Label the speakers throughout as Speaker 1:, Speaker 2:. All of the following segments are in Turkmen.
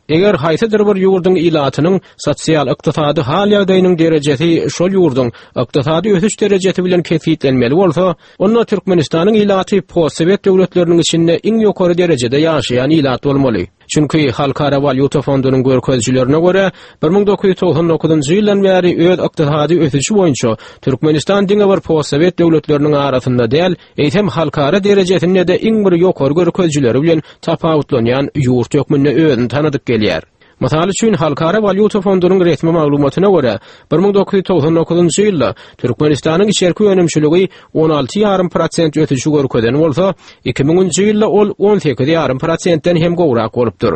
Speaker 1: Eger haýsydyr bir ýurduň ilatynyň sosial-ykdysady hal-ýagdaýynyň derejesi şol ýurduň ykdysady ösüş derejesi bilen kesgitlenmeli bolsa, onda Türkmenistanyň ilaty postsowet döwletleriniň içinde iň ýokary derejede ýaşaýan ilat bolmaly. Çünki Halkara walýuta fondunyň görkezijilerine görä, 1999-njy ýyldan bäri öz ykdysady ösüşi boýunça Türkmenistan diňe bir postsowet döwletleriniň arasynda däl, eýsem halkara derejesinde-de iň bir ýokary görkezijileri bilen tapawutlanýan ýurt hökmünde özüni tanadyp gelýär. Mysal üçin, Halkara walýuta fondunyň resmi maglumatyna görä, 1999-njy ýylda Türkmenistanyň içerki önümçiligi 16 ýarym prosent ösüşi görkezen bolsa, 2000-nji ýylda ol 18 ýarym prosentden hem gowrak bolupdyr.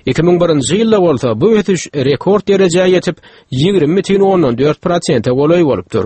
Speaker 1: 2001-nji ýylda bolsa bu ösüş rekord derejä ýetip, 20,4 prosente golaý bolupdyr.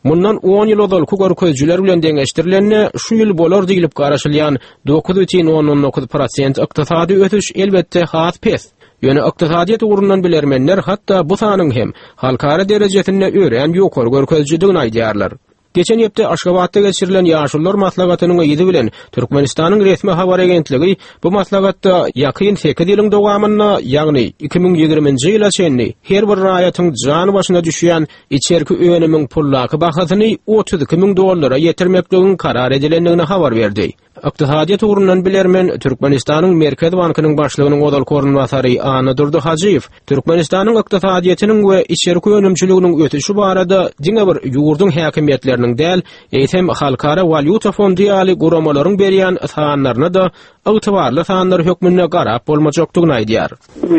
Speaker 1: Mundan on ýyl ozalky görkezijiler bilen deňeşdirilende, şu ýyl bolar diýlip garaşylýan 9,9 prosent ykdysady ösüş elbetde has pes. Ýöne ykdysadyýet ugrundan bilermenler hatda bu sanyň hem halkara derejesinde örän ýokary görkezijidigini aýdýarlar. Geçen hepde Aşgabatda geçirilen Ýaşulular maslahatynyň yzy bilen Türkmenistanyň resmi habar agentligi bu maslahatda ýakyn sekiz ýylyň dowamynda, ýagny 2020-nji ýyla çenli her bir raýatyň jan başyna düşýän içerki önümiň puldaky bahasyny 32 müň dollara ýetirmekligiň karar edilendigini habar berdi. Ykdysadyýet ugrundan bilermen, Türkmenistanyň Merkezi bankynyň başlygynyň ozalky orunbasary Annadurdy Hajyýew Türkmenistanyň ykdysadyýetiniň we içerki önümçiliginiň ösüşi barada diňe bir ýurduň häkimiýetleriniň däl, eýsem Halkara walýuta fondy ýaly guramalaryň berýän sanlaryna-da ygtybarly sanlar hökmünde garap bolmajakdygyny aýdýar.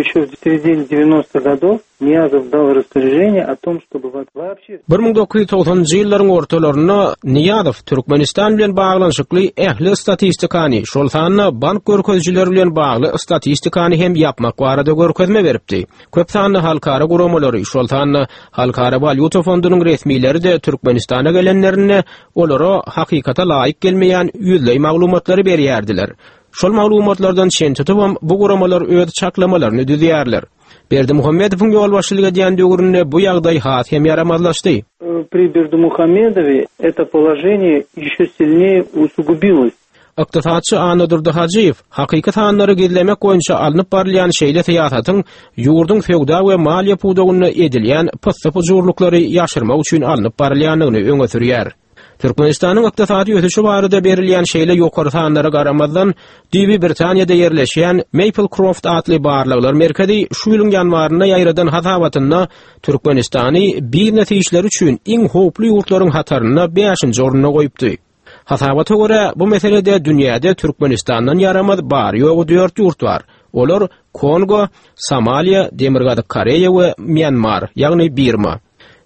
Speaker 2: Еще в середине 90-х годов Nyýazow dal rasporeženiýe o tom, ştoby waapşe.
Speaker 1: 1990-njy ýyllaryň ortalarynda Nyýazow Türkmenistan bilen baglanyşykly ähli statistikany, şol sanda bank görkezijileri bilen bagly statistikany hem ýapmak barada görkezme beripdi. Köp sanly halkara guramalary, şol sanda Halkara walýuta fondunyň resmileri-de Türkmenistana gelenlerinde olara hakykata laýyk gelmeýän ýüzleý maglumatlary berýärdiler. Şol maglumatlardan çen tutubam bu guramalar öz çaklamalaryny düzýärler. Berdimuhamedowyň ýolbaşçylyk edýän döwründe bu ýagdaý has hem ýaramazlaşdy.
Speaker 2: Pri Berdimuhamedowe eto položeniýe ýeşe silneýe usugubilos.
Speaker 1: Ykdysatçy Annadurdy Hajyýew hakyky sanlary gizlemek boýunça alnyp barylýan şeýle syýasatyň ýurduň söwda we maliýe pudagynda edilýän pyssy-pyjurlyklary ýaşyrmak üçin alnyp barylýandygyny öňe sürýär. Türkmenistanyň ykdysady ösüşi barada berilýän şeýle ýokary sanlara garamazdan, düýbi Britaniýada ýerleşýän Maplecroft atly barlaglar merkezi şu ýylyň ýanwarynda ýaýradan hasabatynda Türkmenistany biznes işleri üçin iň howply ýurtlaryň hatarynda bäşinji orunda goýupdy. Hasabata görä, bu meselede dünýäde Türkmenistandan ýaramaz bary-ýogy dört ýurt bar. Olar Kongo, Somaliýa, Demirgazyk Koreýa we Mýanmar, ýagny Birma.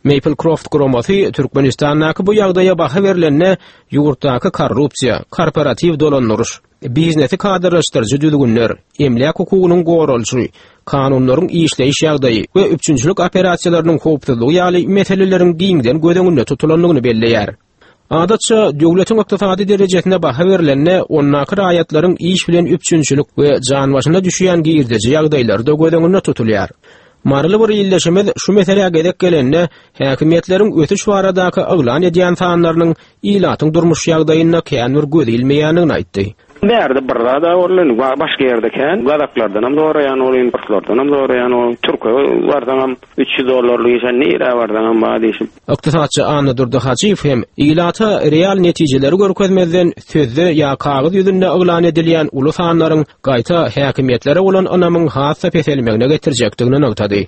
Speaker 1: Maplecroft guramasy Türkmenistandaky bu ýagdaýa baha berlende ýurtdaky korrupsiýa, korporatiw dolandyryş, biznesi kadrlaşdyryjy düzgünler, emläk hukugynyň goralyşy, kanunlaryň işleýiş ýagdaýy we üpjünçilik operasiýalarynyň howpsuzlygy ýaly meseleleriň giňden göz öňünde tutulandygyny belleýär. Adatça, döwletiň ykdysady derejesine baha berlende, ondaky raýatlaryň iş bilen üpjünçilik we jan başyna düşýän girdeji ýagdaýlary-da göz öňünde tutulýar. Maryly bir ildeşimiz şu meselä gezek gelende, häkimiýetleriň ösüş baradaky yglan edýän sanlarynyň ilatyň durmuş ýagdaýynda kän bir göz ilmeýändigini aýtdy.
Speaker 3: Bärde bir zad-a boldy, indi başga ýerde kän. Gazaklardanam soraýan bolýan, orslardanam soraýan bolýan. Türke barsaňam 300 dollarlyk işe nirä barsaňam bar diýşip.
Speaker 1: Ykdysatçy Annadurdy Hajyýew hem ilata real netijeleri görkezmezden sözde ýa kagyz ýüzünde yglan edilýän uly sanlaryň gaýta häkimiýetlere bolan ynamyň has-da peselmegine getirjekdigini nygtady.